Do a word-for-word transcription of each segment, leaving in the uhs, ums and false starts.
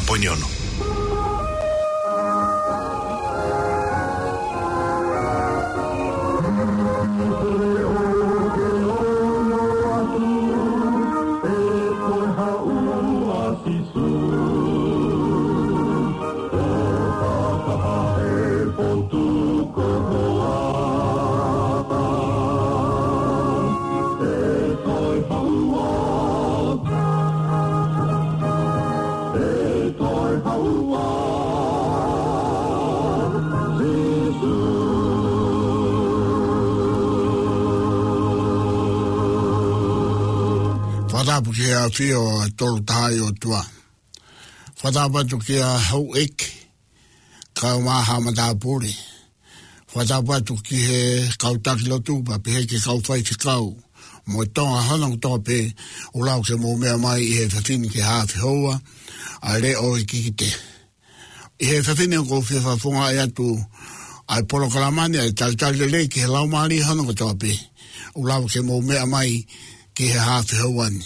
Poini ono. Fakatapu ki he ʻafio ʻa e Tolu Tahaʻi ʻOtua. Fakatapu atu ki he houʻeiki, kau mā ha matāpule. Fakatapu atu ki he kau taki lotu, pea pehē ki he kau faifekau mo e Tonga hono kotoa pē, ʻoku lava ke mou meʻa mai ʻi he efiafi ni ki he haʻafe houa, ʻa e leʻo ʻo e kikite. ʻI he efiafi ni ʻoku ou fie fakafofongaʻi atu ʻa e polokalama ni, ʻa e talitali lelei ki he laumālie hono kotoa pē, ʻoku lava ke mou meʻa mai ki he haʻafe houa ni.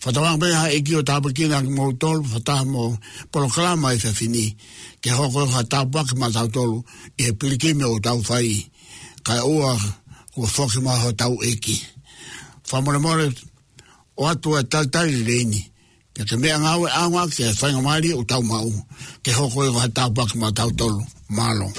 Fakatauange pē ha ʻEiki ʻo tāpuekina kimoutolu, fakataha mo e polokalama ʻi he efiafi ni, ke hoko ko ha tāpuaki maʻatautolu ʻi he pilikimi ʻoku tau fai, kae ʻoua kuo foki mai hotau ʻEiki. Fakamolemole, ʻoatu e talitali lelei ni, pea ke meʻangāue ʻaonga ki he faingamālie ʻoku tau maʻu, ke hoko ko ha tāpuaki maʻatautolu. Mālō.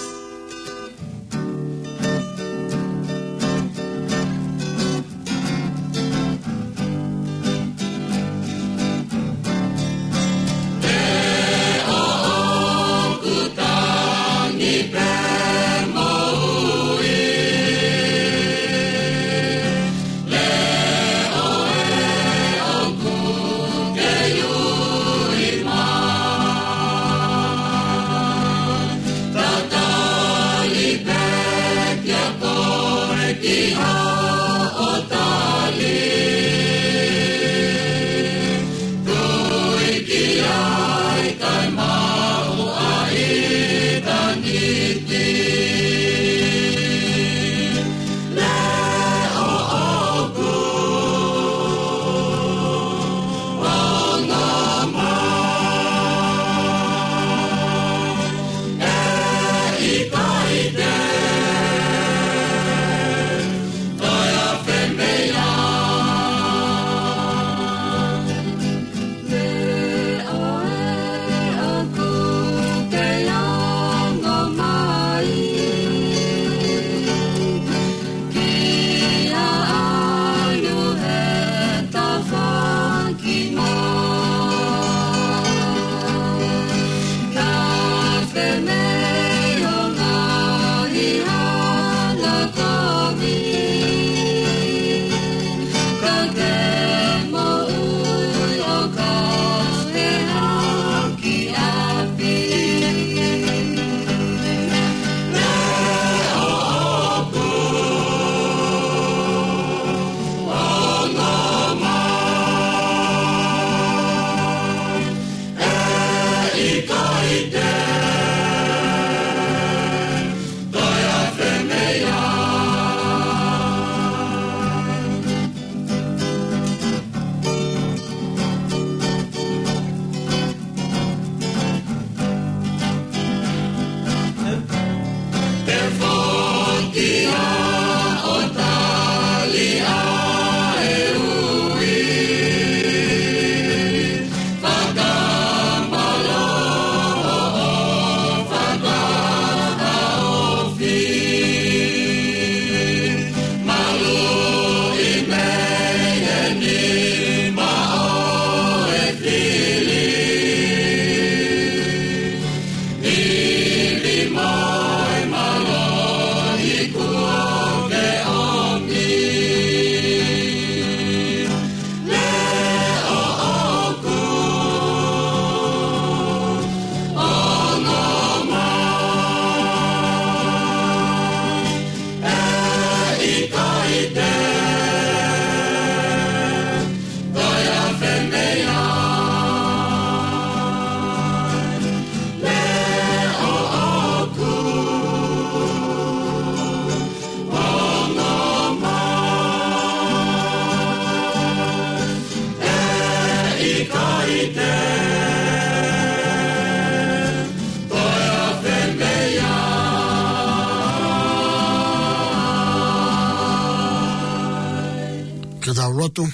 Lotu.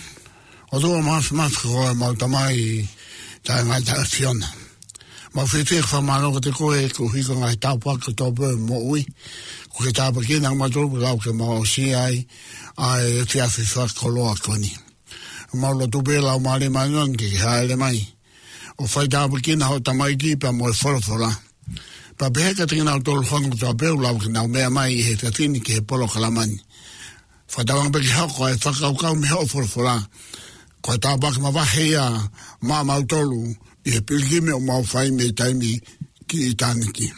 ʻOtua Māfimafi, ko homau Tamai taʻengata ʻa e ʻAfiona, mau fiefia ke fakamālō kiate koe koeʻuhi ko e ngaahi tāpuaki kotoa pē ʻo e moʻui kuo ke tāpuakiʻi kimautolu pea lava ke mau aʻusia ai ʻa e efiafi fakakoloa ko eni. Mau lotu pē Laumālie Māʻoniʻoni ke ke hāʻele mai ʻo fai tāpuekina hoʻo tamaiki pea mo e folofola, pea pehē kiate kinautolu hangē ko e tau pē ʻoku lava ke nau meʻa mai ʻi he efiafi ni ki he polokalama ni. Fakatauange pē ke hoko ʻa e fakakaukau mei hoʻo folofola ko e tāpuaki mavahe ia maʻamautolu ʻi he pilikimi ʻoku mau fai mei taimi ki ʻitāniti.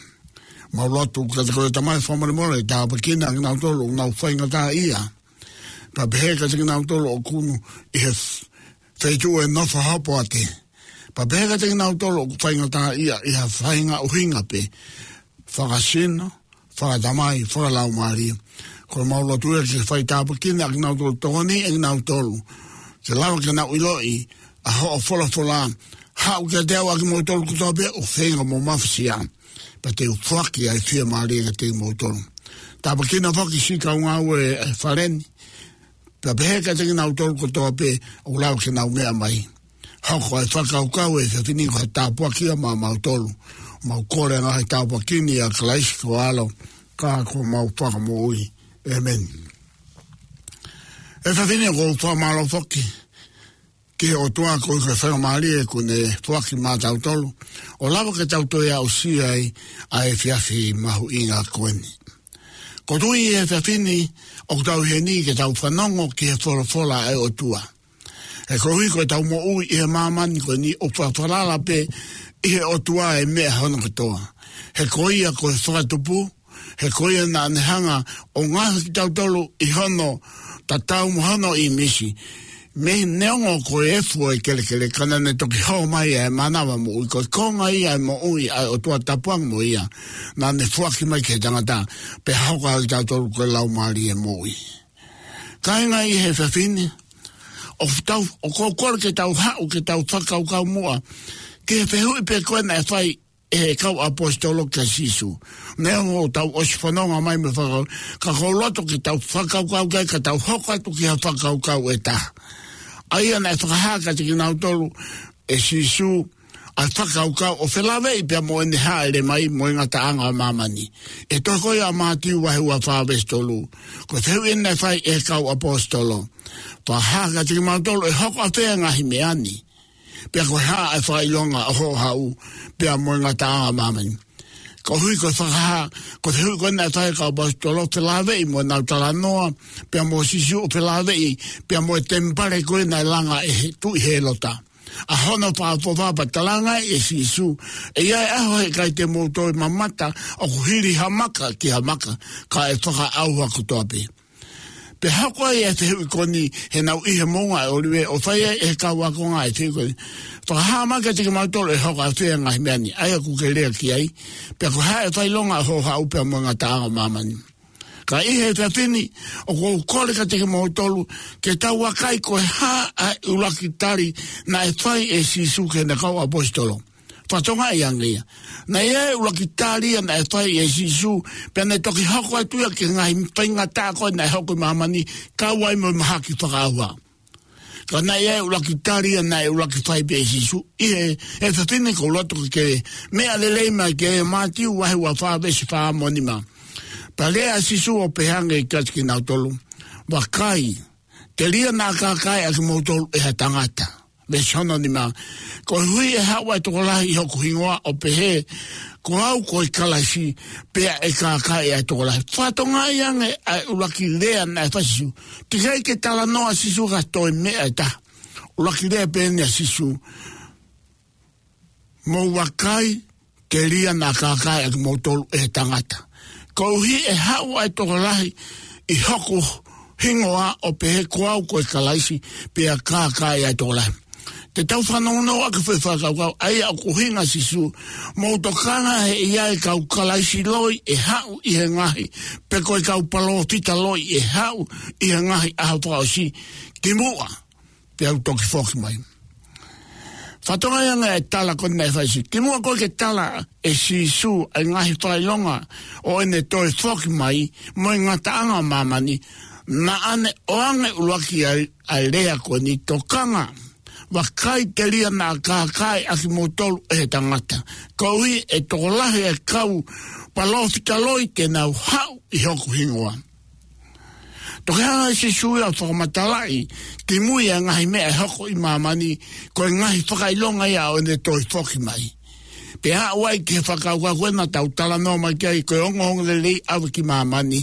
Mau lotu kiate koe Tamai, fakamolemole, tāpuekina kinautolu ʻoku nau faingataʻaʻia, pea pehē kiate kinautolu ʻoku nau ʻi he f-, feituʻu ʻe nofo hopoate, pea pehē kiate kinautolu ʻoku faingataʻaʻia ʻi ha faʻahinga ʻuhinga pē, fakasino, fakatamai, fakalaumālie. Ko e mau lotu ia ke fai tāpuekina kinautolu, tokoniʻi kinautolu ke lava ke nau ʻiloʻi ʻa hoʻo folofola. Haʻu kiate au ʻa kimoutolu kotoa pē ʻoku feinga mo mafasia, pea te u foaki ʻa e fiemālie kiate kimoutolu. Tāpuekina foki siʻi kau ngāue ʻa e fale ni, pea pehē kiate kinautolu kotoa pē ʻoku lava ke nau meʻa mai. Hoko ʻa e fakakaukau ʻo e efiafi ni ko ha tāpuaki ia maʻamautolu. Mau kole ʻa e ngaahi tāpuaki ni ʻia Kalaisi ko ho ʻAlo, ka ko homau Fakamoʻui. ʻĒmeni. ʻE efiafi ni ʻoku ou fakamālō foki ki he ʻOtua koeʻuhi ko e faingamālie kuo ne foaki maʻatautolu ʻo lava ke tau toe aʻusia ai ʻa e efiafi mahuʻinga ko eni. Ko e tui ʻi he efiafi ni ʻoku tau ʻi heni ke tau fanongo ki he folofola ʻa e ʻOtua. He koeʻuhi ko ʻetau moʻui ʻi he māmani ko eni ʻoku fakafalala pē ʻi he ʻOtua e meʻa hono kotoa. He ko ia ko e Fakatupu, he ko ia naʻa ne hanga ʻo ngaohi kitautolu ʻi hono tatau mo hono ʻīmisi. Mei he neongo ko e efu ʻo e kelekele, ka naʻa ne toki hō mai ʻa e mānava moʻui, ko e konga ia ʻo e moʻui ʻa e ʻOtua, tapuange mo ia, naʻa ne foaki mai ki he tangata, pea hoko ai kitautolu ko e laumālie moʻui. Kāinga, ʻi he efiafi ni, ʻoku tau, ʻoku ou kole ke tau haʻu, ke tau fakakaukau muʻa ki he fehuʻi pē ko ē naʻe fai ʻe he kau ʻaposetolo kia Sīsū. Neongo ʻoku tau ʻosi fononga mai mei he fakakaukau, ka ʻoku ou loto ke tau fakakaukau ki ai, ka tau hoko atu ki ha fakakaukau ʻe taha. ʻA ia naʻe fakahā kiate kinautolu ʻe Sīsū ʻa e fakakaukau ʻo felāveʻi pea mo ʻene hāʻele mai mo e ngataʻanga ʻo māmani. ʻI he tohi ko ia ʻa Mātiu vahe ua fā veesi tolu, ko e fehuʻi eni naʻe fai ʻe he kau ʻaposetolo: Fakahā kiate kimautolu ʻe hoko ʻafē ʻa e ngaahi meʻa ni, pea ko e hā ʻa e fakaʻilonga ʻo hoʻo haʻu pea mo e ngataʻanga ʻo māmani. Koeʻuhi ko e fakahā, ko e fehuʻi ko ē naʻe fai ʻe he kau ʻaposetolo ʻo felāveʻi mo ʻenau talanoa pea mo Sīsū, ʻo felāveʻi pea mo e temipale ko ē naʻe langa ʻe he Tuʻi Hēlota. ʻA hono fakaʻofoʻofa pea talaange ʻe Sīsū: ʻE ʻi ai e ʻaho he ʻikai te mou toe mamata ʻoku hili ha maka ki ha maka, ka ʻe fakaʻauha kotoa pē. Pea hoko ai ʻa e fehuʻi ko eni heʻenau ʻi he Moʻunga ʻo e ʻŌlive, ʻo fai ai ʻe he kau ākonga ʻa e fehuʻi ko eni: Fakahā mai kiate kimautolu ʻe hoko ʻafē ʻa e ngaahi meʻa ni, ʻa ia ʻoku ke lea ki ai, pea ko e hā ʻa e fakaʻilonga ʻo hoʻo haʻu pea mo e ngataʻanga ʻo māmani. Ka ʻi he efiafi ni, ʻoku ou kole kiate kimoutolu ke tau vakai ko e hā ʻa e ʻuluaki tali naʻe fai ʻe Sīsū ki heʻene kau ʻaposetolo. Fakatokangaʻi ange ia. Naʻe ʻi ai e ʻuluaki tali ia naʻe fai ʻe Sīsū, pea ne toki hoko atu ia ki he ngaahi faingataʻa ko ē naʻe hoko ʻi māmani, kau ai mo e mahaki fakaʻauha. Ka naʻe ʻi ai e ʻuluaki tali ia naʻe ʻuluaki fai pē ʻe Sīsū. ʻI he efiafi ni ʻoku ou loto ke ke meʻa lelei mai ki ai, Mātiu vahe ua fā veesi fā mo nima. Pea lea ʻa Sīsū ʻo pehē ange kiate kinautolu: Vakai, telia naʻa kākaaʻi ʻa kimoutolu ʻe ha tangata. Veesi hono nima: Koeʻuhi ʻe haʻu ʻa e tokolahi ʻi hoku hingoa ʻo pehē, Ko au ko e Kalaisi, pea ʻe kākaaʻi ʻa e tokolahi. Fakatokangaʻi ange ʻa e ʻuluaki lea naʻe fai ʻe Sīsū. Teʻeki ai ke talanoa ʻa Sīsū ki ha toe meʻa ʻe taha. ʻUluaki lea pē eni ʻa Sīsū: Mou vakai, telia naʻa kākaaʻi ʻa kimoutolu ʻe he tangata. Koeʻuhi ʻe haʻu ʻa e tokolahi ʻi hoku hingoa ʻo pehē, Ko au ko e Kalaisi, pea kākaaʻi ʻa e tokolahi. Te tau fanongonongo ʻaki e foʻi fakakaukau, ʻa ia ʻoku ʻuhinga ʻa Sīsū: Mou tokanga he ʻe ʻi ai e kau Kalaisi loi ʻe haʻu ʻi he ngaahi, pe ko e kau palōfita loi ʻe haʻu ʻi he ngaahi ʻaho fakaʻosi kimuʻa peau toki foki mai. Fakatokangaʻi ange ʻa e tala ko eni naʻe fai ʻe Sīsū. Kimuʻa ko ē ke tala ʻe Sīsū ʻa e ngaahi fakaʻilonga ʻo ʻene toe foki mai mo e ngataʻanga ʻo māmani, Naʻa ne ʻoange ʻuluaki ʻa e, ʻa e lea ko eni: Tokanga, vakai, telia naʻa kākaaʻi ʻa kimoutolu ʻe he tangata, koeʻuhi ʻe tokolahi ʻa e kau palōfita loi te nau haʻu ʻi hoku hingoa. Toki hanga ʻe Sīsū ia ʻo fakamatalaʻi kimui ʻa e ngaahi meʻa ʻe hoko ʻi māmani, ko e ngaahi fakaʻilonga ia ʻo ʻene toe foki mai. Pea aʻu ai ki he fakakaukau ko ē naʻa tau talanoa mai ki ai, ko e ongoongolelei ʻave ki māmani.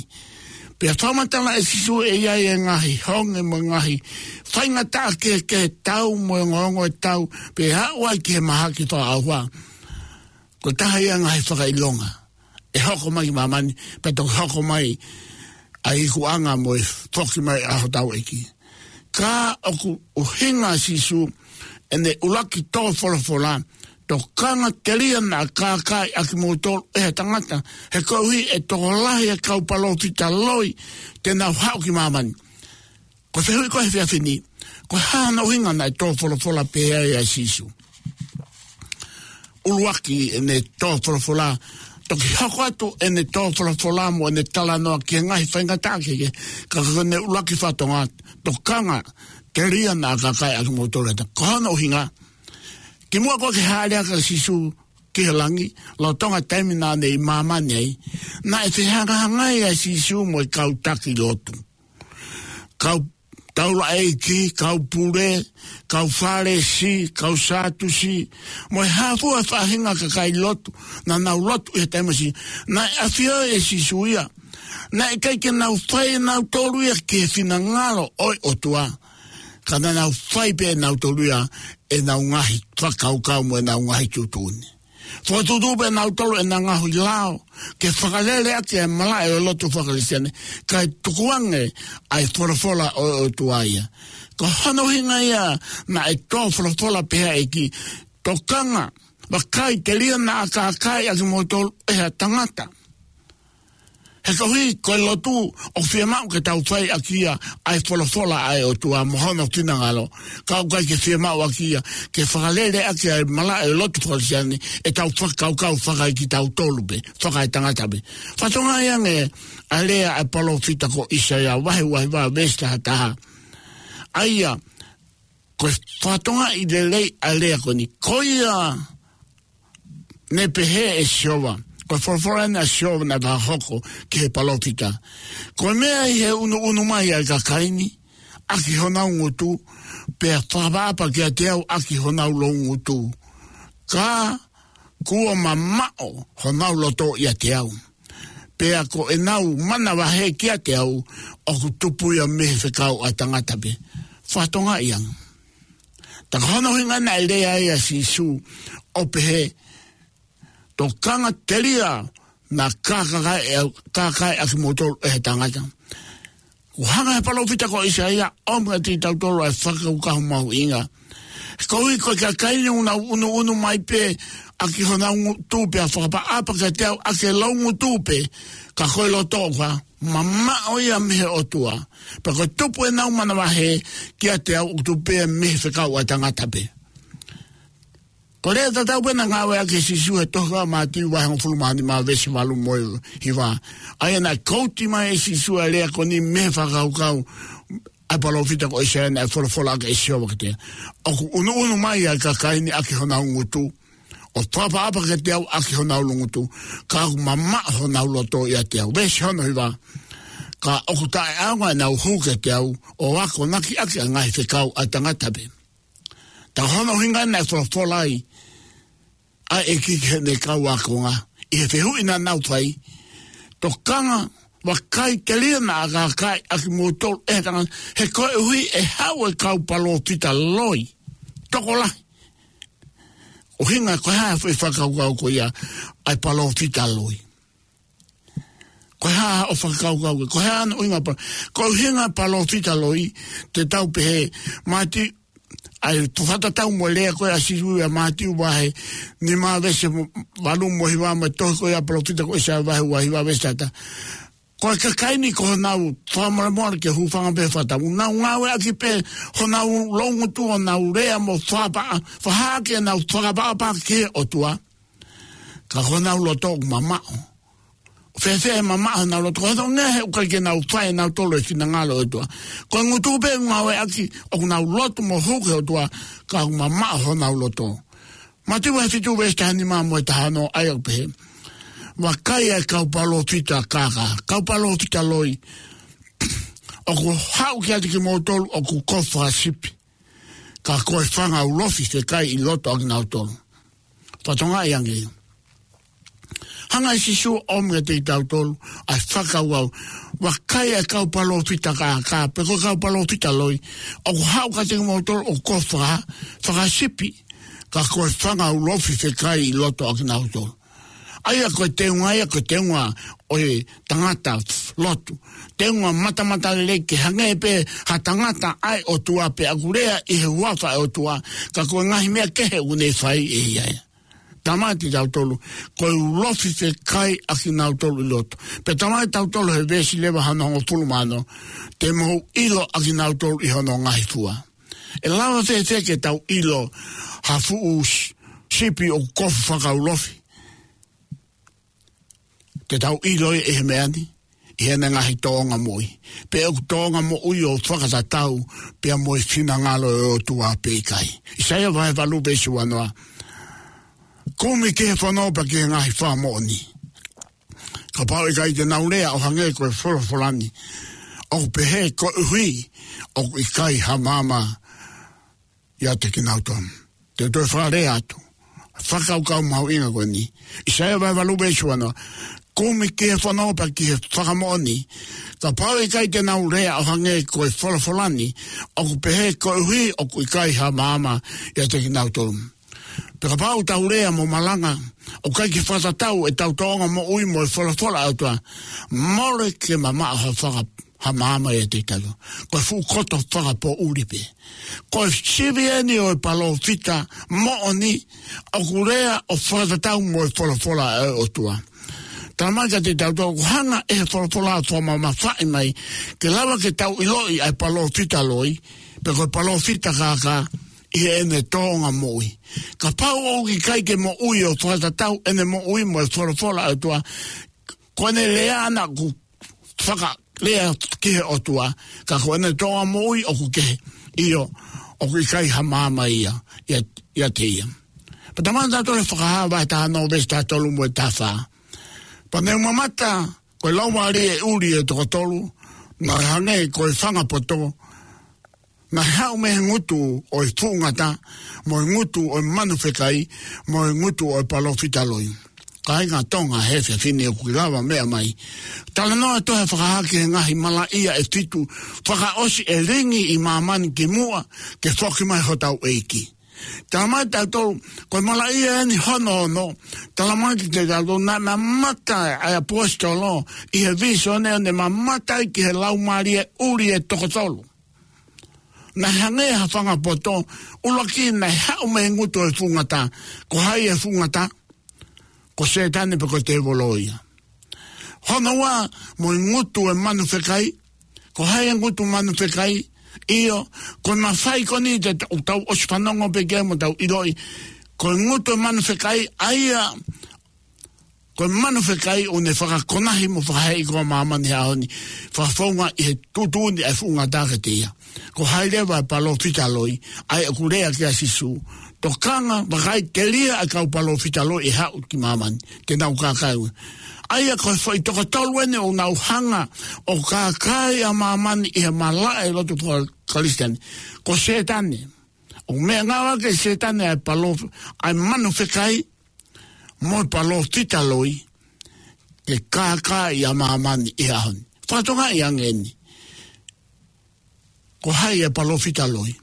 Pea fakamatala ʻe Sīsū ʻe ʻi ai e ngaahi honge mo e ngaahi faingataʻa kehekehe, tau mo e ongoongo ʻo e tau, pea aʻu ai ki he mahaki fakaʻauha. Ko e taha ia e ngaahi fakaʻilonga ʻe hoko mai ki māmani, pea toki hoko mai ʻa e ikuʻanga mo e foki mai ʻa hotau ʻEiki. Ka ʻoku ʻuhinga ʻa Sīsū ʻene ʻuluaki tō folofola: Tokanga, telia naʻa kākaaʻi ʻa kimoutolu ʻe he tangata, he koeʻuhi ʻe tokolahi ʻa e kau palōfita loi te nau haʻu ki māmani. Ko e fehuʻi ko ē he efiafi ni, ko e hā hono ʻuhinga naʻe tō folofola pehē ai ʻa Sīsū? ʻUluaki ʻene tō folofola, toki hoko atu ʻene tō folofola mo ʻene talanoa ki he ngaahi faingataʻa kehekehe, ka ko ʻene ʻuluaki fatongia: Tokanga, telia naʻa kākaaʻi ʻa kimoutolu ʻe he tangata. Ko hono ʻuhinga, kimuʻa ko ē ke hāʻele hake ʻa Sīsū ki he langi, lolotonga e taimi naʻa ne ʻi māmani ai, naʻe fehangahangai ʻa Sīsū mo e kau taki lotu, kau taulaʻeiki, kau pule, kau Fālesi, kau Sātusi, mo e hā fua e faʻahinga kakai lotu naʻa nau lotu ʻi he taimi ʻo Sīsū. Naʻe ʻafioʻi ʻe Sīsū ia naʻe ʻikai ke nau fai ʻe nautolu ia ki he finangalo ʻo e ʻOtua, ka naʻa nau fai pē ʻe nautolu ia ʻenau ngaahi fakakaukau mo ʻenau ngaahi tuʻutuʻuni. Fokotuʻutuʻu pē ʻe nautolu ʻenau ngaahi lao ke fakalele ʻaki e malaʻe ʻo e lotu faka-Kalisitiane, kae tukuange ʻa e folofola ʻo e ʻOtua ia. Ko hono ʻuhinga ia naʻe tō folofola pehē ʻa e ʻEiki: Tokanga, vakai, telia naʻa kākaaʻi ʻa kimoutolu ʻe he tangata. He koeʻuhi ko e lotu ʻoku fiemaʻu ke tau fai ʻaki ia ʻa e folofola ʻa e ʻOtua mo hono finangalo, ka ʻoku ʻikai ke fiemaʻu ʻaki ia ke fakalele ʻaki ʻa e malaʻe ʻo e lotu faka-Kalisitiane ʻetau fakakaukau fakaekitautolu pē, fakaetangata pē. Fatongia ange ʻa e lea ʻa e palōfita ko ʻĪsaia vahe uahiva veesi taha taha. ʻA ia, ko e fatongia lelei ʻa e lea ko eni. Ko ia ne pehē ʻe Sihova, ko e folofola eni ʻa Sihova naʻe fakahoko ki he palōfita: Ko e meʻa ʻi he ʻunuʻunu mai ʻa e kakai ni ʻaki honau ngutu, pea fakaʻapaʻapa kiate au ʻaki honau loungutu, ka kuo mamaʻo honau loto ʻiate au, pea ko ʻenau manavahē kiate au ʻoku tupu ia mei he fekau ʻa e tangata pē. Fatongia ange. Ka ko hono ʻuhinga naʻe lea ai ʻa Sīsū ʻo pehē: Tokanga, telia naʻa kākaaʻi, kākaaʻi ʻa kimoutolu ʻe he tangata. Kuo hanga ʻe he palōfita ko ʻĪsaia ʻo ʻomi kiate kitautolu ʻa e fakakaukau mahuʻinga. Koeʻuhi ko e kakai ni ʻoku nau ʻunuʻunu mai pē ʻaki honau ngutu pea fakaʻapaʻapa kiate au ʻaki e loungutu pē, ka ko e loto ʻoku mamaʻo ia mei he ʻOtua, pea ko e tupu ʻenau manavahē kiate au ʻoku tupu ia mei he fekau ʻa e tangata pē. Ko e lea tatau pē naʻe ngāueʻaki ʻe Sīsū he tohi ko Mātiu vahe hongofulu mā nima veesi valu mo e hiva. ʻA ia naʻe kouti mai ʻe Sīsū ʻa e lea ko eni mei he fakakaukau ʻa e palōfita ko ʻĪsaia naʻe folofola ʻaki ʻe Sihova kiate ia: ʻOku ʻunuʻunu mai ʻa e kakai ni ʻaki honau ngutu, ʻo fakaʻapaʻapa kiate au ʻaki honau loungutu, ka ʻoku mamaʻo honau loto ʻiate au. Veesi hono hiva: Ka ʻoku taʻeʻaonga ʻenau hū kiate au, ʻo akonaki ʻaki ʻa e ngaahi fekau ʻa e tangata pē. Ka ko hono ʻuhinga naʻe folofola ai ʻa e ʻEiki ki heʻene kau ākonga ʻi he fehuʻi naʻa nau fai: Tokanga, vakai, telia naʻa kākaaʻi ʻa kimoutolu ʻe he tangata, he koeʻuhi ʻe haʻu e kau palōfita loi, tokolahi. ʻUhinga, ko e hā e foʻi fakakaukau ko ia ʻa e palōfita loi? Ko e hā hoʻo fakakaukau, ko e hā hono ʻuhinga pa-, ko e ʻuhinga palōfita loi? Te tau pehē, Mātiu, ʻa e fakatatau mo e lea ko ē ʻa Sīsū ʻia Mātiu vahe nima veesi valu mo e hiva, mo e tohi ko ē ʻa e palōfita ko ʻĪsaia vahe uahiva veesi taha taha. Ko e kakai ni ko honau fakamolemole ke hūfanga pē he fakatapu. Nau ngāueʻaki pē honau loungutu, honau lea mo fakaʻapa-, fakahā ʻenau fakaʻapaʻapa ki he ʻOtua, ka ko honau loto ʻoku mamaʻo. fēfē e mamaʻo honau loto, ko e hangē he ʻoku ʻikai ke nau fai ʻe nautolu e finangalo ʻo e ʻOtua. Ko e ngutu pē ʻoku ngāueʻaki, ʻoku nau lotu mo hū ki he ʻOtua, ka ʻoku mamaʻo honau loto. Mātiu vahe fitu veesi taha nima mo e taha ono, ʻa ia ʻoku pehē: Vakai ʻa e kau palōfita kākā, kau palōfita loi, ʻoku haʻu kiate kimoutolu ʻoku kofu fakasipi, ka ko e fanga ulofi fekai ʻi loto ʻakinautolu. Fakatokangaʻi ange. Hanga ʻe Sīsū ʻo ʻomi kiate kitautolu ʻa e fakakaukau: Vakai ʻa e kau palōfita kākā, pe ko e kau palōfita loi, ʻoku haʻu kiate kimoutolu ʻoku kofu faka-, fakasipi, ka ko e fanga ulofi fekai ʻi loto ʻakinautolu. ʻA ia ko e teunga ia, ko e teunga ʻo e tangata lotu. Teunga matamatalelei, ke hangē pē ha tangata ʻa e ʻOtua pea ʻoku lea ʻi he huafa ʻo e ʻOtua, ka ko e ngaahi meʻa kehe ʻoku ne fai ʻe ia ia. Talamai kiate kitautolu, ko e ulofi fekai ʻakinautolu ʻi loto. Pea talamai kiate kitautolu he veesi leva hono hongofulu mā ono, te mou ʻilo ʻakinautolu ʻi hono ngaahi fua. ʻE lava fēfē ke tau ʻilo ha fuʻu s-, sipi ʻoku kofu fakaulofi? Te tau ʻilo ʻi he meʻa ni, ʻi heʻene ngaahi tōʻonga moʻui. Pe ʻoku tōʻonga moʻui ʻo fakatatau pea mo e finangalo ʻo e ʻOtua pe ʻikai. ʻAisea vahe valu veesi uanoa: Kumi ki he fono pea ki he ngaahi fakamoʻoni. Kapau ʻe ʻikai te nau lea ʻo hangē ko e folofola ni, ʻoku pehē koeʻuhi ʻoku ʻikai ha maama ʻiate kinautolu. Te u toe fakalea atu fakakaukau mahuʻinga ko eni. ʻAisea vahe valu veesi uanoa: Kumi ki he fono pea ki he fakamoʻoni. Kapau ʻe ʻikai te nau lea ʻo hangē ko e folofola ni, ʻoku pehē koeʻuhi ʻoku ʻikai ha maama ʻiate kinautolu. Pea kapau ʻoku tau lea mo malanga ʻoku ʻikai ke fakatatau ʻetau tōʻonga moʻui mo e folofola ʻa e ʻOtua, mole ke mamaʻo ha faka-, ha maama ʻiate kitautolu. Ko e fuʻu koto fakapoʻuli pē. Ko e sivi eni ʻo e palōfita moʻoni, ʻoku lea ʻo fakatatau mo e folofola ʻa e ʻOtua. Talamai kiate kitautolu, ʻoku hanga ʻe he folofola ʻo fakamamafaʻi mai, ke lava ke tau ʻiloʻi ʻa e palōfita loi, pe ko e palōfita kākā, ʻi heʻene tōʻonga moʻui. Kapau ʻoku ʻikai ke moʻui ʻo fakatatau ʻene moʻui mo e folofola ʻa e ʻOtua, ko ʻene lea ʻana ʻoku fakalea ki he ʻOtua, ka ko ʻene tōʻonga moʻui ʻoku kehe, ʻio, ʻoku ʻikai ha maama ia, ia, ʻiate ia. Pea talamai kiate kitautolu he Fakahā vahe taha ono veesi taha tolu mo e taha fā: Pea ne u mamata, ko e laumālie ʻuli ʻe toko tolu, naʻe hangē ko e fanga poto, naʻe haʻu mei he ngutu ʻo e fuʻu ngata, mo e ngutu ʻo e manu fekai, mo e ngutu ʻo e palōfita loi. Kāinga Tonga he efiafi ni, ʻoku lava meʻa mai. Talanoa ʻa e tohi Fakahā ki he ngaahi malaʻia ʻe fitu fakaʻosi ʻe lingi ʻi māmani kimuʻa ke foki mai hotau ʻEiki. Talamai kiate kitautolu, ko e malaʻia eni hono ono, talamai kiate kitautolu, naʻe mamata ʻa e ʻaposetolo ʻi he vīsone, ʻo ne mamata ai ki he laumālie ʻuli ʻe toko tolu. Naʻe hangē ha fanga poto, ʻuluaki naʻe haʻu mei he ngutu ʻo e fuʻu ngata. Ko hai e fuʻu ngata? Ko Sētane pe ko e tēvolo ia. Hono ua, mo e ngutu ʻo e manu fekai. Ko hai e ngutu manu fekai? ʻIo, ko e mafai ko eni te tau, tau ʻosi fanongo pē ki ai mo tau ʻiloʻi. Ko e ngutu ʻo e manu fekai, ʻa ia, ko e manu fekai ʻoku ne fakakonahi mo fakaheeʻi koko māmani he ʻaho ni. Fakafounga ʻi he tuʻutuʻuni ʻa e fuʻu ngata kiate ia. Ko hai leva e palōfita loi, ʻa ia ʻoku lea ki ai ʻa Sīsū? Tokanga, vakai, telia ʻa e kau palōfita loi ʻe haʻu ki māmani, te nau kākaaʻi. ʻA ia ko e foʻi toko tolu eni ʻoku nau hanga ʻo kākaaʻi ʻa māmani ʻi he malaʻe lotu faka-Kalisitiane. Ko Sētane. ʻOku meʻangāueʻaki ʻe Sētane ʻa e palōf-, ʻa e manu fekai, mo e palōfita loi, ke kākaaʻi ʻa māmani ʻi he ʻaho ni. Fakatokangaʻi ange eni. Ko hai e palōfita loi?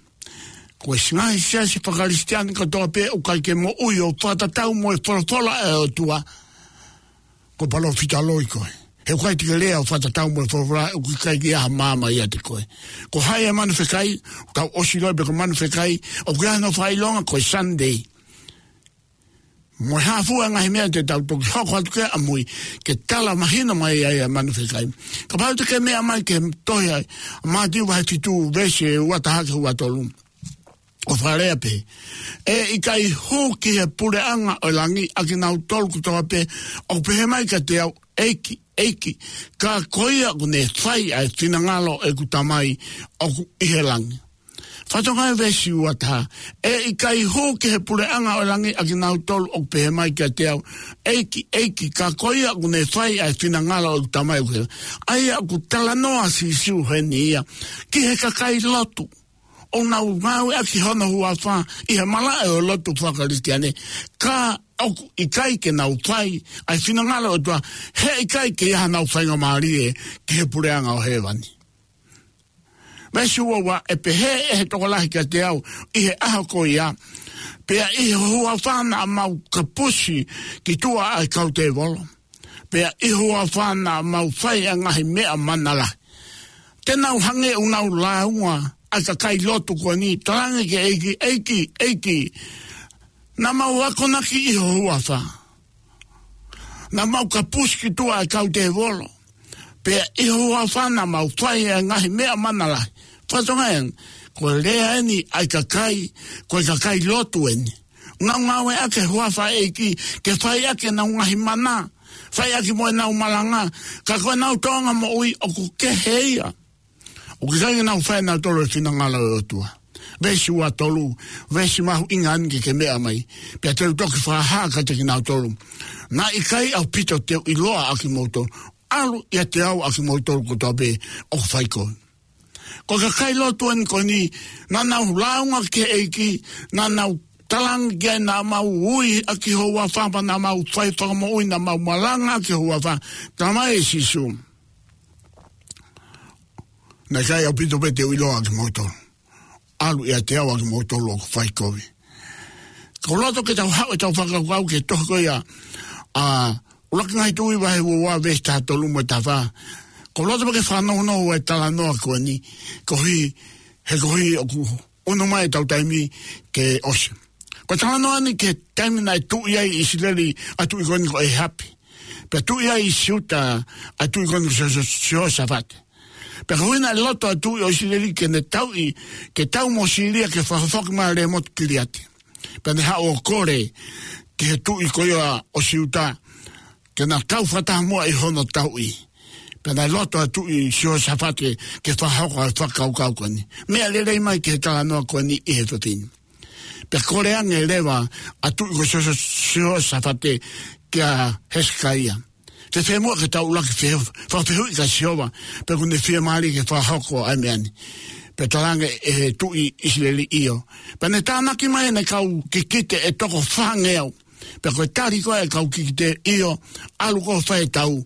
Ko e ngaahi siasi faka-Kalisitiane kotoa pē ʻoku ʻikai ke moʻui ʻo fakatatau mo e folofola ʻa e ʻOtua, ko e palōfita loi koe. He ʻoku ʻikai te ke lea ʻo fakatatau mo e folofola, ʻoku ʻikai ke ʻi ai ha maama ʻiate koe. Ko hai e manu fekai? Tau ʻosi ʻiloʻi pē ko e manu fekai, ʻoku ʻi ai hono fakaʻilonga ko e Sunday. Mo e hā fua e ngaahi meʻa te tau toki hoko atu ki ai ʻamui, ke tala mahino mai ai ʻa e manu fekai. Kapau te ke meʻa mai ki he tohi ʻa Mātiu vahe fitu veesi ʻe ua taha ki he ua tolu. ʻOku fakalea pē: ʻE ʻikai hū ki he puleʻanga ʻo e langi ʻa kinautolu kotoa pē ʻoku pehē mai kiate au, ʻEiki, ʻEiki, ka ko ia ʻoku ne fai ʻa e finangalo ʻeku Tamai ʻoku ʻi he langi. Fakatokangaʻi e veesi ua taha, ʻe ʻikai hū ki he puleʻanga ʻo e langi ʻa kinautolu ʻoku pehē mai kiate au, ʻEiki, ʻEiki, ka ko ia ʻoku ne fai ʻa e finangalo ʻeku Tamai ʻoku ʻi he langi. ʻA ia ʻoku talanoa ʻa Sīsū heni ia ki he kakai lotu ʻoku nau ngāueʻaki hono huafa ʻi he malaʻe ʻo e lotu faka-Kalisitiane, ka ʻoku ʻikai ke nau fai ʻa e finangalo ʻo e ʻOtua, he ʻikai ke ʻi ai hanau faingamālie ki he puleʻanga ʻo hēvani. Veesi ua ua, ʻe pehē ʻe he tokolahi kiate au ʻi he ʻaho ko ia, pea ʻi he huafa naʻa mau kapusi ki tuʻa ʻa e kau tēvolo, pea ʻi he huafa naʻa mau fai ʻa e ngaahi meʻa mana lahi. Te nau hangē ʻoku nau lāunga ʻa e kakai lotu ko eni, talaange ki he ʻEiki, ʻEiki, ʻEiki, naʻa mau akonaki ʻi ho huafa, naʻa mau kapusi ki tuʻa ʻa e kau tēvolo, pea ʻi ho huafa naʻa mau fai ʻa e ngaahi meʻa mana lahi. Fakatokangaʻi ange, ko e lea eni ʻa e kakai, ko e kakai lotu eni. Nau ngāueʻaki e huafa ʻo e ʻEiki ke fai ʻaki ʻenau ngaahi mana, fai ʻaki mo ʻenau malanga, ka ko ʻenau tōʻonga moʻui ʻoku kehe ia. ʻOku ʻikai ke nau fai ʻenautolu e finangalo ʻo e ʻOtua. Veesi ua tolu, veesi mahuʻinga eni ke ke meʻa mai, pea te u toki fakahā kiate kinautolu. Naʻe ʻikai ʻaupito te u ʻiloa ʻa kimoutolu. ʻAlu ʻiate au ʻa kimoutolu kotoa pē ʻoku fai kovi. Ko e kakai lotu eni ko eni, naʻa nau lāunga ki he ʻEiki, naʻa nau talaange ki ai naʻa mau ui ʻaki ho huafa, pea naʻa mau fai fakamoʻui, naʻa mau malanga ʻaki ho huafa. Talamai ʻe Sīsū, naʻe ʻikai ʻaupito pē te u ʻiloa ʻa kimoutolu. ʻAlu ʻiate au ʻa kimoutolu ʻoku fai kovi. Ko e loto ke tau haʻu ʻetau fakakaukau ki he tohi ko ia ʻa ʻUluaki Ngaahi Tuʻi vahe ua ua veesi taha tolu mo e taha fā. Ko e loto pē ke fanongonongo e talanoa ko eni, koeʻuhi, he koeʻuhi ʻoku ʻunu mai ʻetau taimi ke ʻosi. Ko e talanoa eni ki he taimi naʻe tuʻi ai ʻi ʻIsileli ʻa e tuʻi ko eni ko ʻĒhapi. Pea tuʻi ai ʻi Siuta ʻa e tuʻi ko eni ko Sio-, Sio-, Siosafate. Pea koeʻuhi naʻe loto ʻa e tuʻi ʻo ʻIsileli ke ne tauʻi, ke tau mo Sīlia ke fakafoki mai ʻa Lēmotu Kiliati. Pea ne haʻu ʻo kole ki he tuʻi ko ia ʻo Siuta ke na kau fakataha muʻa ʻi hono tauʻi. Pea naʻe loto ʻa e tuʻi Siosafate ke fakahoko ʻa e fakakaukau ko eni. Meʻa lelei mai ki he talanoa ko eni ʻi he efiafi ni. Pea kole ange leva ʻa e tuʻi ko Sio-, Siosafate kia Hesekaia, fēfē muʻa ke tau ʻuluaki fe-, fakafehuʻi kia Sihova pe ʻoku ne fiemālie ke fakahoko ʻa e meʻa ni. Pea talaange ʻe he tuʻi ʻIsileli, ʻio. Pea ne tānaki mai ʻene kau kikite ʻe toko fāngeau. Pea ko e tali ko ē ʻa e kau kikite, ʻio, ʻalu koe ʻo fai e tau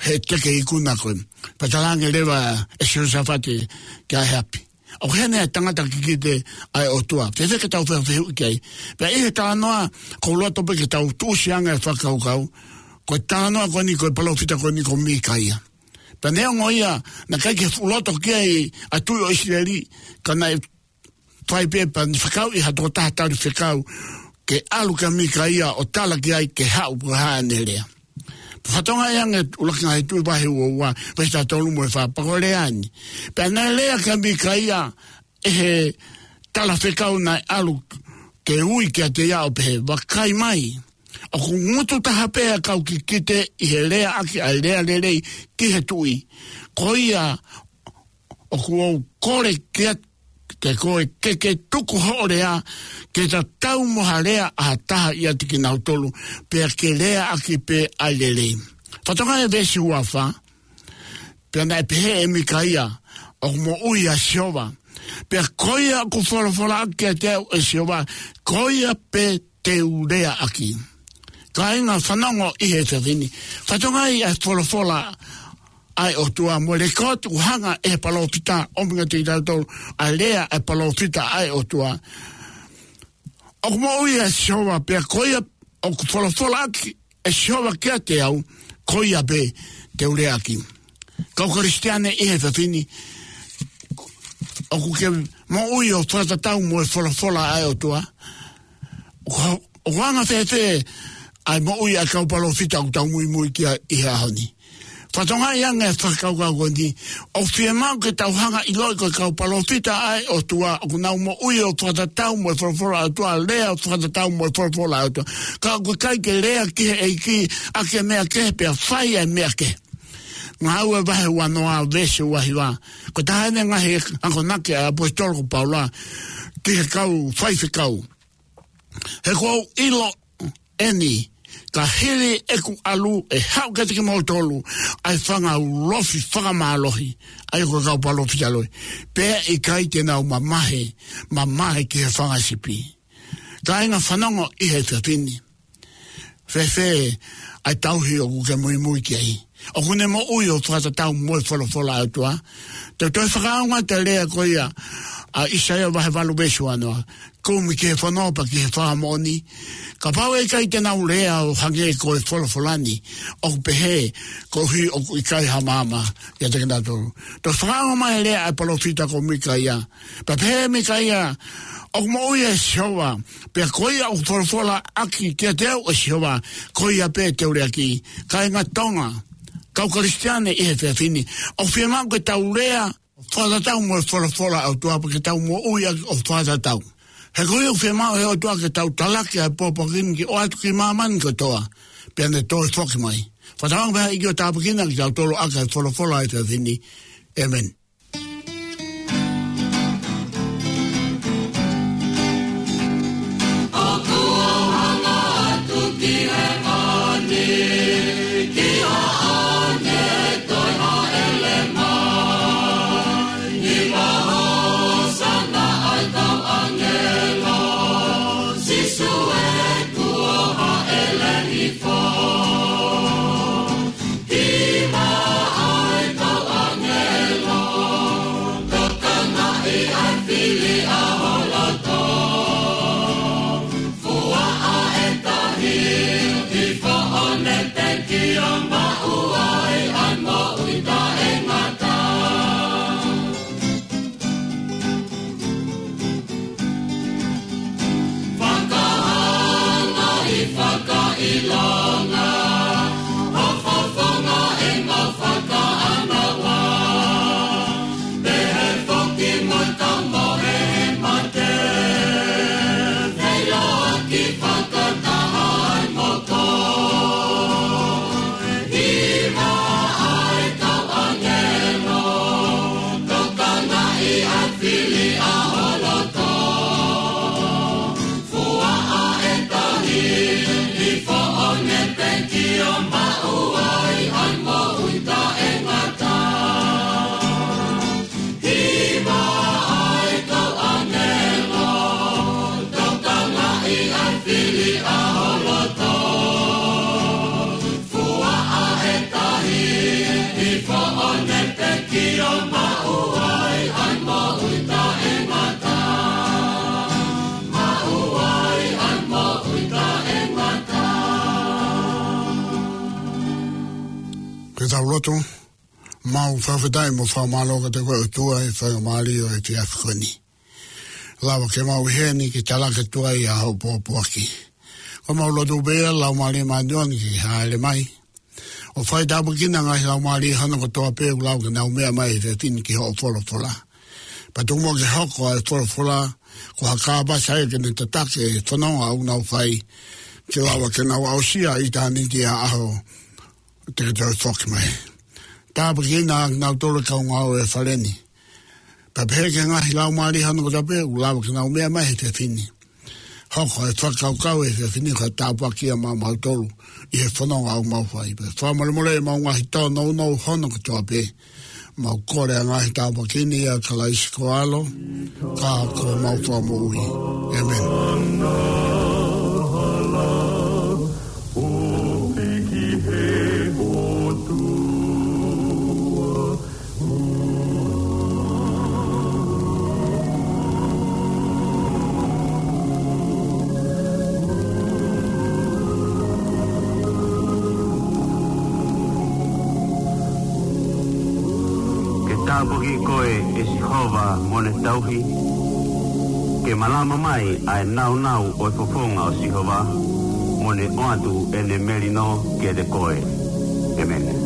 he te ke ikuna koe. Pea talaange leva ʻe Siosafate kia ʻĒhapi, ʻoku ʻi heni ʻa e tangata kikite ʻa e ʻOtua. Fēfē ke tau fakafehuʻi ki ai? Pea ʻi he talanoa, ʻoku ou loto pē ke tau tuʻusi ange e fakakaukau, ko e talanoa ko eni, ko e palōfita ko eni ko Mikaia. Pea neongo ia naʻe ʻikai ke fuʻu loto ki ai ʻa e tuʻi ʻo ʻIsileli, ka naʻe fai pē pea ne fekauʻi ha tokotaha tali fekau ke ʻalu kia Mikaia ʻo tala ki ai ke haʻu pe ko e hā ʻene lea. Fakatokangaʻi ange ʻUluaki Ngaahi Tuʻi vahe ua ua, veesi taha tolu mo e fā, pea ko e lea eni. Pea naʻe lea kia Mikaia ʻe he talafekau naʻe ʻalu ke ui kiate ia ʻo pehē, Vakai mai, ʻoku ngutu taha pē ʻa e kau kikite ʻi he leaʻaki ʻa e lea lelei ki he tuʻi. Ko ia ʻoku ou kole kiate koe ke ke tuku hoʻo lea, ke tatau mo ha lea ʻa ha taha ʻiate kinautolu, pea ke leaʻaki pē ʻa e lelei. Fakatokangaʻi e veesi ua fā, pea naʻe pehē ʻe Mikaia, ʻOku moʻui ʻa Sihova, pea ko ia ʻoku folofola ʻaki kiate au ʻe Sihova, ko ia pē te u leaʻaki. Kāinga, fanongo ʻi he efiafi ni. Fakatokangaʻi ʻa e folofola ʻa e ʻOtua mo e lekooti ʻoku hanga ʻe he palōfita ʻo ʻomi kiate kitautolu ʻa e lea ʻa e palōfita ʻa e ʻOtua. ʻOku moʻui ʻa Sihova, pea ko ia ʻoku folofola ʻaki ʻe Sihova kiate au, ko ia pē te u leaʻaki. Kau Kalisitiane ʻi he efiafi ni, ʻoku ke moʻui ʻo fakatatau mo e folofola ʻa e ʻOtua? ʻOku, ʻoku anga fēfē ʻa e moʻui ʻa e kau palōfita ʻoku tau muimui ki ai ʻi he ʻaho ni? Fakatokangaʻi ange e fakakaukau ko eni, ʻoku fiemaʻu ke tau hanga ʻo ʻiloʻi ko e kau palōfita ʻa e ʻOtua ʻoku nau moʻui ʻo fakatatau mo e folofola ʻa e ʻOtua, lea ʻo fakatatau mo e folofola ʻa e ʻOtua. Ka ʻoku ʻikai ke lea ki he ʻEiki ʻaki e meʻa kehe pea fai e meʻa kehe. Ngāue vahe uanoa veesi uahiva. Ko e taha eni e ngaahi akonaki ʻa e ʻaposetolo ko Paula ki he kau faifekau. He kuo u ʻilo eni, ka hili ʻeku ʻalu ʻe haʻu kiate kimoutolu ʻa e fanga ulofi fakamālohi, ʻa ia ko e kau palōfita loi. Pea ʻikai te nau mamahi, mamahi ki he fanga sipi. Kāinga fanongo ʻi he efiafi ni. Fēfē ʻa e tauhi ʻoku ke muimui ki ai? ʻOku ne moʻui ʻo fakatatau mo e folofola ʻa e ʻOtua? Te u toe fakaʻaonga atu e lea ko ia ʻa ʻĪsaia vahe valu veesi uanoa. Kumi ki he fono pea ki he fakamoʻoni. Kapau ʻe ʻikai te nau lea ʻo hangē ko e folofola ni, ʻoku pehē koeʻuhi ʻoku ʻikai ha maama ʻiate kinautolu. Toe fakaʻaonga mai e lea ʻa e palōfita ko Mikaia. Pea pehē ʻe Mikaia, ʻoku moʻui ʻa Sihova, pea ko ia ʻoku folofola ʻaki kiate au ʻe Sihova, ko ia pē te u lea ki. Kāinga Tonga, kau Kalisitiane ʻi he efiafi ni, ʻoku fiemaʻu ke tau lea ʻo fakatatau mo e folofola ʻa e ʻOtua pea ke tau moʻui ʻaki ʻo fakatatau. He ko ia ʻoku fiemaʻu ʻe he ʻOtua ke tau talaki ʻa e pōpoaki ni ʻo ʻoatu ki māmani kotoa, pea ne toe foki mai. Fakatauange pē ʻEiki ʻo tāpuekina kitautolu ʻaki ʻa e folofola ʻa e efiafi ni. ʻĒmeni. ʻOku ou hanga atu ki he mani, ki haʻane toe hāʻele mai. Ni ma hosana ai kau ʻāngelo, Sīsū ē kuo hāʻele hifo. Hima ai kau ʻāngelo, tokangaʻi ʻa e fili ʻa ho loto. Fuaʻa ʻe tahi, hifo ʻo ne pekia, maʻu ai ʻa e moʻui taʻengata. Fakahanga ʻi fakaʻilonga, ʻo fofonga ʻi mau fakaʻānaua. Pehē foki mo e kau mohe he mate, feiloaki fakataha ai mo koe. Hima ai kau ʻāngelo, tokangaʻi ʻa e fili ʻa ho loto. Fuaʻa ʻe tahi, hifo ʻo ne pekia, maʻu ai ʻa e moʻui taʻengata. Hima ai kau ʻāngelo, tokangaʻi ʻa e fili ʻa ho loto. Fuaʻa ʻe tahi, hifo ʻo ne pekia, maʻu ai ʻa e moʻui taʻengata. Maʻu ai ʻa e moʻui taʻengata. Ke tau lotu. Mau fakafetaʻi mo fakamālō kiate koe ʻOtua ʻi he faingamālie ʻo e efiafi ko eni. Lava ke mau ʻi heni ke talaki atu ai ʻa hoʻo pōpoaki. Ko mau lotu pē ia Laumālie Māʻoniʻoni ke hāʻele mai ʻo fai tāpuekina ngaahi laumālie hono kotoa pē ʻoku lava ke nau meʻa mai he efiafi ni ki hoʻo folofola. Pea tuku muʻa ke hoko ʻa e folofola ko ha kāpasa ia ke ne tataki e fononga ʻoku nau fai, ke lava ke nau aʻusia ʻitāniti ʻa e ʻaho te ke toe foki mai. Tāpuekina kinautolu kau ngāue ʻi he fale ni. Pea pehē ki he ngaahi laumālie hono kotoa pē ʻoku lava ke nau meʻa mai he efiafi ni. Hoko e fakakaukau he efiafi ni ko e tāpuaki ia maʻamautolu ʻi he fononga ʻoku mau fai. Pea fakamolemole ʻemau ngaahi tōnounou hono kotoa pē. Mau kole ʻa e ngaahi tāpuaki ni ʻia Kalaisi ko ho ʻAlo, ka ko homau Fakamoʻui. ʻĒmeni. Ke tāpuaki koe ʻe Sihova mo ʻene tauhi. Ke malama mai ʻa e nāunau ʻo e fofonga ʻo Sihova, mo ne ʻoatu ʻene melino kiate koe. ʻĒmeni.